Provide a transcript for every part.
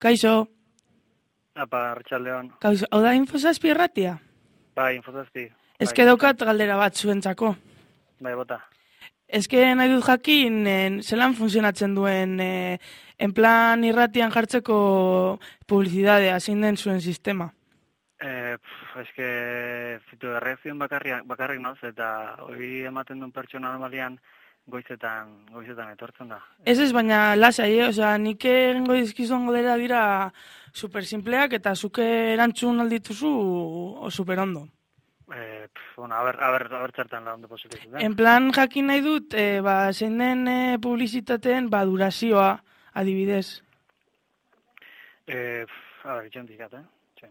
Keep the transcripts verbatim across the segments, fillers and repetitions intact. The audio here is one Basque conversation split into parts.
Kaixo. Apa, Arratsaldeon. Kaixo, hau da Infozazpi irratia? Bai, Infozazpi. Eske daukat galdera bat zuentzako. Bai, bota. Eske nahi dut jakin, en, zelan funtzionatzen duen, e, en plan irratian jartzeko publizidadea, zein den zuen sistema? Eh, pff, eske fitu erreakzioen bakarrik, bakarrik noz, eta hori ematen duen pertsona normalian goizetan, goizetan etortzen da. Ez ez, baina lasai, eh? Osea, nik egingo dizkizuen galdera dira super simpleak eta zuke erantzun aldituzu o super ondo. Eh, pff, bueno, a ber, a ber, a ber txertan la ondo posibilitzen da. En plan jakin nahi dut, e, ba, zein den e, publizitateen ba, durazioa, adibidez. Eh, pff, a ber, itxen dikat, eh? Itxen.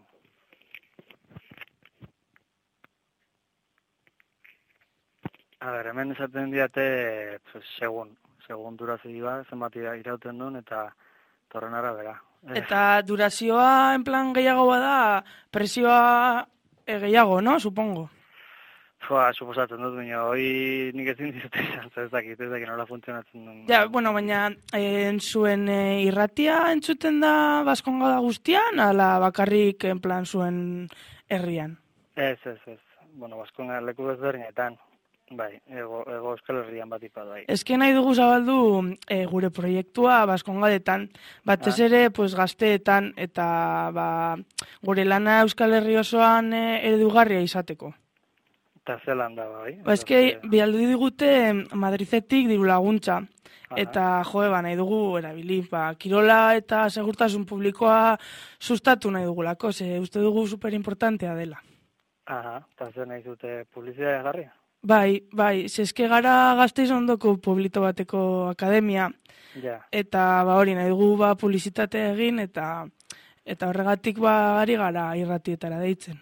A ber, hemen esaten diate, pues, segun, segun durazioa, zenbat irauten duen, eta torren arabera. Eta durazioa, en plan gehiago bada, presioa e, gehiago, no? Supongo. Fua, suposatzen dut, baina hoi nik ezin dizute izan, ez dakit, ez dakit nola funtzionatzen duen. Ja, bueno, baina e, zuen e, irratia entzuten da Baskonga da guztian, ala bakarrik en plan zuen herrian? Ez, ez, ez. Bueno, Baskonga leku ezberdinetan. Bai, ego, ego Euskal Herrian bat ipa bai. Eske nahi dugu zabaldu e, gure proiektua Baskongadetan, batez Ah. ere pues, gazteetan eta ba, gure lana Euskal Herri osoan e, eredugarria izateko. Eta zelan da, bai. Ba, eske, bialdu digute Madridetik diru laguntza. Aha. Eta, joe, ba, nahi dugu erabili, ba, kirola eta segurtasun publikoa sustatu nahi dugulako, ze uste dugu superimportantea dela. Aha, eta zer nahi zute publizitatea jarri? Bai, bai, zeske gara Gasteiz ondoko pueblito bateko akademia, Ja, eta ba hori nahi dugu ba publizitatea egin, eta eta horregatik ba ari gara irratietara deitzen.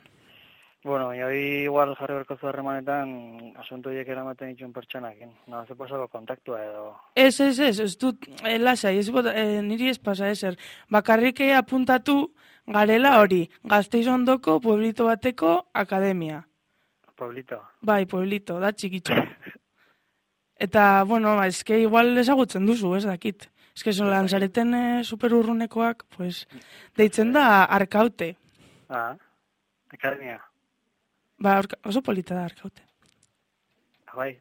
bueno, baina hori igual jarri berko zu harremanetan asunto horiek eramaten dituen pertsonakin. No, ze pasako kontaktua edo... Ez, ez, ez, ez dut, eh, lasai, ez bota, eh, niri ez pasa ezer. Bakarrik apuntatu garela hori, Gasteiz ondoko pueblito bateko akademia. Pueblito. Bai, pueblito, da txikitxo. Eta, bueno, ba, eske igual ezagutzen duzu, ez dakit. Eske zolan zareten e, superurrunekoak, pues, deitzen da Arkaute. Ah, akademia. Ba, orka, oso polita da Arkaute. Ah, bai,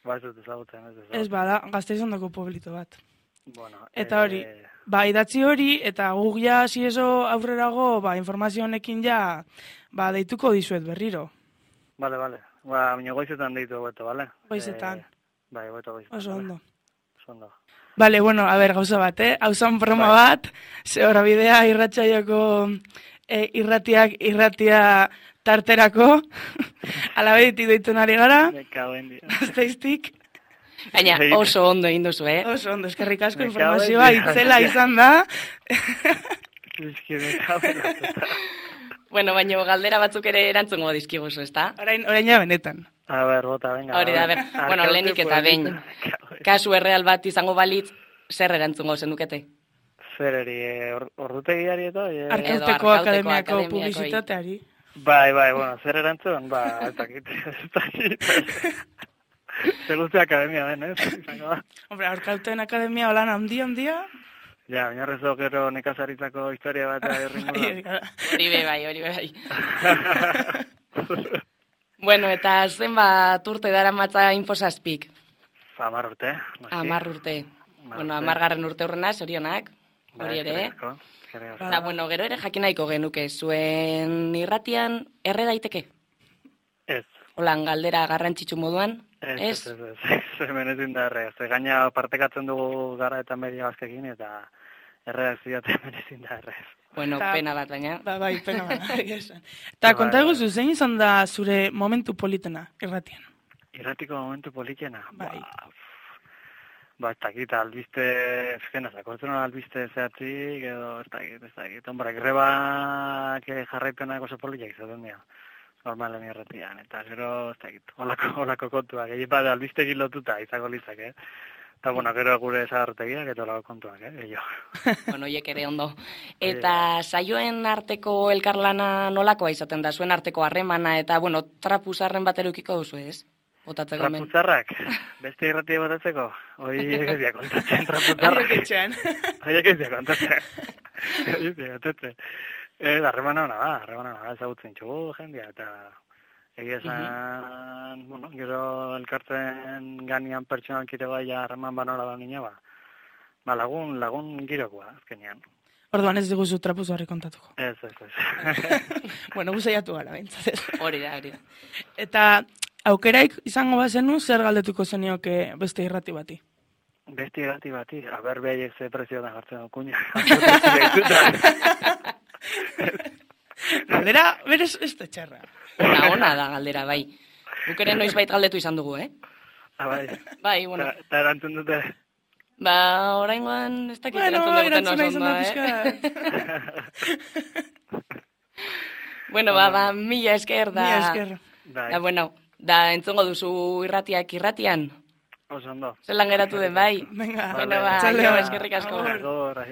ba ez dut ezagutzen, ez ezagutzen. Ez bada, Gasteiz ondoko pueblito bat. Bueno, Eta hori, eh, ba, idatzi hori, eta guk ja, ziezo aurrerago, ba, informazio honekin ja, ba, deituko dizuet berriro. Vale, vale. Ba, baina goizetan deitu hobeto, vale? Goizetan. Eh, bai, hobeto goizetan. Oso vale? ondo. Oso ondo. Bale, bueno, a ber, gauza bat, eh? Hau zan broma Bai. bat, ze hori bidea irratxaioko eh, irratiak irratia tarterako, alabeditik deitzen ari gara, Me cago en Dios. Gasteiztik. Baina Bai. oso ondo egin duzu, eh? Oso ondo, eskerrik asko Me cago en informazioa Dios. itzela izan da. Es que me cago en la puta. Bueno, baina galdera batzuk ere erantzungo dizkiguzu, ezta? Orain, orain ja benetan. A ver, bota, venga. Hori da, a ber, Arkaute bueno, lehenik eta behin. pueblito. Me cago en- Kasu erreal bat izango balitz, zer erantzungo zenukete? Zereri, eh, or- ordutegiari eta... eh, Arkauteko Arkauteko akademiako akademiakoi. publizitateari. Bai, bai, bueno, zer erantzun? Ba, ez dakit, ez dakit. Zer guzti akademia den, ez? Izango da. Hombre, Arkauten akademia holan handia, handia. Ja, oinarrezo gero nekazaritzako historia bat herri Bai, Hori be bai, hori be bai. Bueno, eta zenbat urte dara matza Infozazpik? Amar urte, noski. Amar urte. Hamar Bueno, urte. amargarren urte horrena, zorionak. Bai, Hori ere. eskerrik asko, eskerrik asko. Eta, bueno, gero ere jakin nahiko genuke, zuen irratian erre daiteke? Ez. Holan galdera garrantzitsu moduan? Ez, Ez? ez, ez, ez, ez, hemen ezin da erre. Ze gaina partekatzen dugu gara eta media bazkekin, eta erredakzioa hemen ezin da erre. Bueno, Eta- pena bat, baina. Ba, bai, pena bat. egia esan. Eta Bai, konta bai. eguzu, zein izan da zure momentu politena irratian? Irratiko momentu politena. Bai. Ba, ba, ez dakit, albiste, fena, zakortzen hori albiste zehatzik, edo, ez dakit, ez dakit. Hombre, grebak jarraipenak oso politiak izaten dira. Normalen irratian, eta gero, ez dakit, holako, holako kontuak. Egin bat, albistegin lotuta izango litzak, eh? Eta, bueno, gero gure zagartegiak eta holako kontuak, eh? Gehiago. Bueno, hiek ere ondo. Eta saioen arteko elkarlana nolakoa izaten da, zuen arteko harremana, eta, bueno, trapuzarren bat erukiko duzu, ez? botatzeko hemen. Traputzarrak, beste irratia botatzeko, hoi egizia kontatzen, traputzarrak. Haiek etxean. Haiek egizia kontatzen. Haiek egizia kontatzen. Eh, harremana hona da, harremana hona da, ezagutzen txugu jendia, eta egia esan, bueno, gero elkartzen ganian pertsonalkite bai harreman banola da nina, ba, ba lagun, lagun girokoa, azkenean. Orduan ez diguzu trapuzarri kontatuko. Ez, ez, ez. Bueno, guzaiatu gara, bintzat. Hori da, hori da. Eta aukeraik izango bazenu, zer galdetuko zenioke beste irrati bati? Beste irrati bati, aber behaiek ze prezio da jartzen okuña. Galdera, berez, ez da txarra. Ona, ona da galdera, bai. Guk ere noiz bait galdetu izan dugu, eh? Ah, bai. Bai, bueno. Eta erantzun dute. Ba, oraingoan ez dakit Bueno, erantzun duguten erantzuna oso izan ondo, da eh? Bueno, ba, ba, mila esker da. Mila esker. Bai, Da, bueno, da entzongo duzu irratiak irratian. oso ondo. Zelan geratu den, bai. Venga, Bueno, ba, txaldeon. jo, eskerrik asko. Agur, agur.